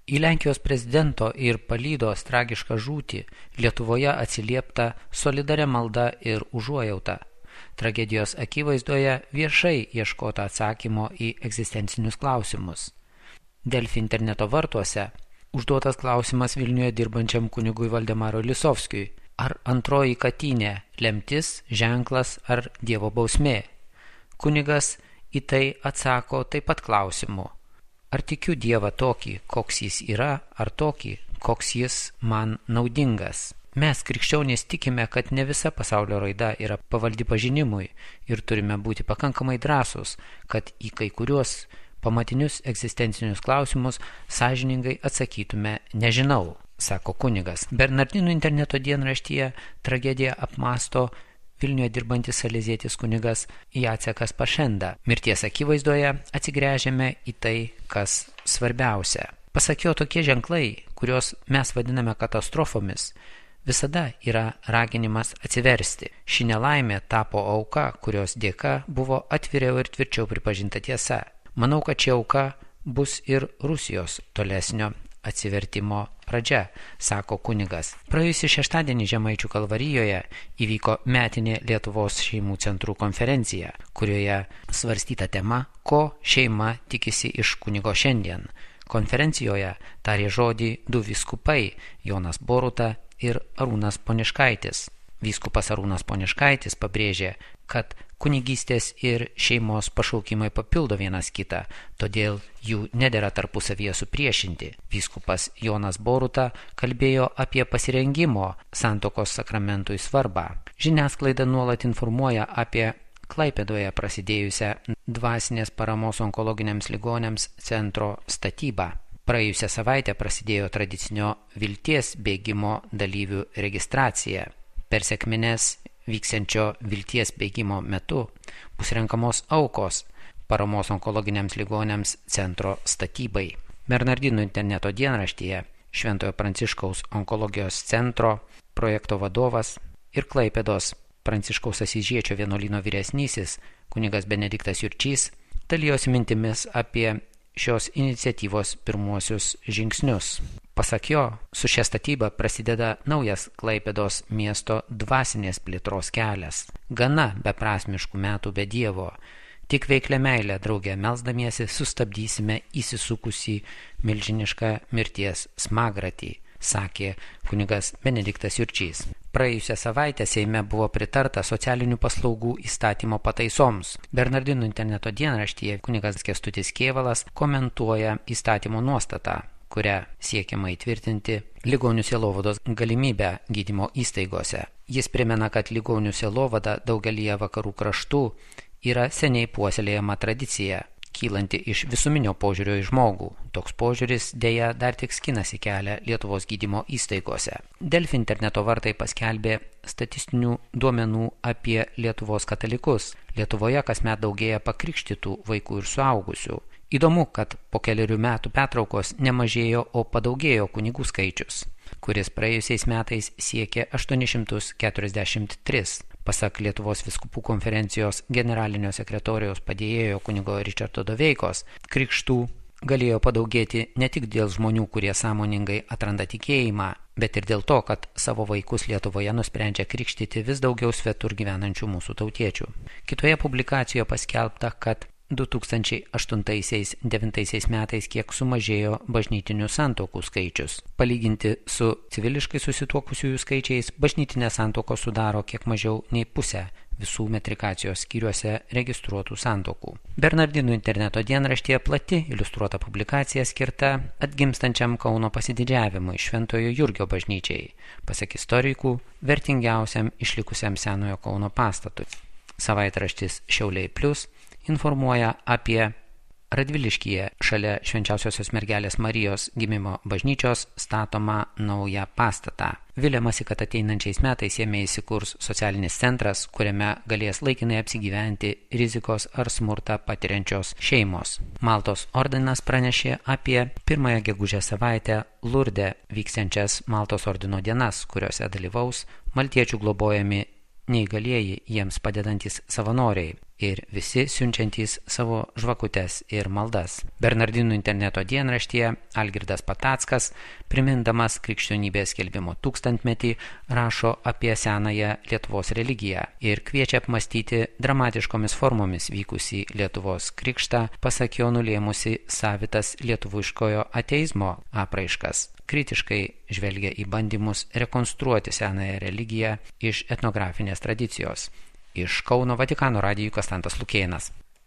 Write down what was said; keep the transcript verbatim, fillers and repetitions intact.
Į Lenkijos prezidento ir palydos tragišką žūtį Lietuvoje atsiliepta solidaria malda ir užuojauta. Tragedijos akivaizdoje viešai ieškota atsakymo į egzistencinius klausimus. Delfi interneto vartuose užduotas klausimas Vilniuje dirbančiam kunigui Valdemarui Lisovskiui. Ar antroji katynė lemtis, ženklas ar Dievo bausmė? Kunigas į tai atsako taip pat klausimu. Ar tikiu Dievą tokį, koks jis yra, ar tokį, koks jis man naudingas? Mes, krikščionys, tikime, kad ne visa pasaulio raida yra pavaldi pažinimui ir turime būti pakankamai drąsūs, kad į kai kuriuos pamatinius egzistencinius klausimus sąžiningai atsakytume nežinau, sako kunigas. Bernardinų interneto dienraštyje tragediją apmąsto Vilniuje dirbantis salezietis kunigas Jacekas Pašenda. Mirties akivaizdoje atsigręžiame į tai, kas svarbiausia. Pasak jo, tokie ženklai, kuriuos mes vadiname katastrofomis, visada yra raginimas atsiversti. Ši nelaimė tapo auka, kurios dėka buvo atviriau ir tvirčiau pripažinta tiesa. Manau, kad ši auka bus ir Rusijos tolesnio atsivertimo pradžia, sako kunigas. Praėjusį šeštadienį Žemaičių Kalvarijoje įvyko metinė Lietuvos šeimų centrų konferencija, kurioje svarstyta tema, ko šeima tikisi iš kunigo šiandien. Konferencijoje tarė žodį du vyskupai, Jonas Boruta ir Arūnas Poniškaitis. Vyskupas Arūnas Poniškaitis pabrėžė, kad kunigystės ir šeimos pašaukimai papildo vienas kitą, todėl jų nedera tarpusavyje supriešinti. Vyskupas Jonas Boruta kalbėjo apie pasirengimo santuokos sakramentui svarbą. Žiniasklaida nuolat informuoja apie Klaipėdoje prasidėjusią dvasinės paramos onkologiniams ligoniams centro statybą. Praėjusią savaitę prasidėjo tradicinio vilties bėgimo dalyvių registracija. Per sekmines vyksiančio vilties bėgimo metu bus renkamos aukos paramos onkologiniams ligoniams centro statybai. Bernardinų interneto dienraštyje Šventojo Pranciškaus onkologijos centro projekto vadovas ir Klaipėdos Pranciškaus Asyžiečio vienuolyno vyresnysis kunigas Benediktas Jurčys dalijosi mintimis apie šios iniciatyvos pirmuosius žingsnius. Pasak jo, su šia statyba prasideda naujas Klaipėdos miesto dvasinės plėtros kelias. Gana beprasmiškų metų be Dievo. Tik veiklia meilė drauge melsdamiesi sustabdysime įsisukusį milžinišką mirties smagratį, sakė kunigas Benediktas Jurčys. Praėjusią savaitę Seime buvo pritarta socialinių paslaugų įstatymo pataisoms. Bernardinų interneto dienraštyje kunigas Kęstutis Kėvalas komentuoja įstatymo nuostatą, kurią siekiama įtvirtinti ligonių sielovados galimybę gydymo įstaigose. Jis primena, kad ligonių sielovada daugelyje vakarų kraštų yra seniai puoselėjama tradicija, kylanti iš visuminio požiūrio į žmogų. Toks požiūris dėja dar tik skinasi kelią Lietuvos gydymo įstaigose. Delfi interneto vartai paskelbė statistinių duomenų apie Lietuvos katalikus. Lietuvoje kasmet daugėja pakrikštytų vaikų ir suaugusių. Įdomu, kad po keliarių metų pertraukos nemažėjo, o padaugėjo kunigų skaičius, kuris praėjusiais metais siekė aštuoni šimtai keturiasdešimt tris. Pasak Lietuvos vyskupų konferencijos generalinio sekretoriaus padėjėjo kunigo Ričardo Doveikos, krikštų galėjo padaugėti ne tik dėl žmonių, kurie sąmoningai atranda tikėjimą, bet ir dėl to, kad savo vaikus Lietuvoje nusprendžia krikštyti vis daugiau svetur gyvenančių mūsų tautiečių. Kitoje publikacijoje paskelbta, kad du tūkstančiai aštuntais devintais metais kiek sumažėjo bažnytinių santuokų skaičius. Palyginti su civiliškai susituokusiųjų skaičiais, bažnytinės santuokos sudaro kiek mažiau nei pusę visų metrikacijos skyriuose registruotų santuokų. Bernardinų interneto dienraštyje plati iliustruota publikacija skirta atgimstančiam Kauno pasididžiavimui Šventojo Jurgio bažnyčiai, pasak istorikų, vertingiausiam išlikusiam senojo Kauno pastatui. Savaitraštis Šiauliai Plius informuoja apie Radviliškyje šalia Švenčiausiosios mergelės Marijos gimimo bažnyčios statomą naują pastatą. Viliamasi, kad ateinančiais metais jame įsikurs socialinis centras, kuriame galės laikinai apsigyventi rizikos ar smurtą patiriančios šeimos. Maltos ordinas pranešė apie pirmąją gegužės savaitę Lurde vyksiančias Maltos ordino dienas, kuriuose dalyvaus maltiečių globojami neįgalieji jiems padedantis savanoriai. ir visi siunčiantys savo žvakutes ir maldas. Bernardinų interneto dienraštyje Algirdas Patackas, primindamas krikščionybės skelbimo tūkstantmetį, rašo apie senąją Lietuvos religiją ir kviečia apmastyti dramatiškomis formomis vykusį Lietuvos krikštą, pasak jo nulėmusi savitas lietuviškojo ateizmo apraiškas. Kritiškai žvelgia į bandymus rekonstruoti senąją religiją iš etnografinės tradicijos. Iš Kauno Vatikano radijui Konstantas Lukėnas.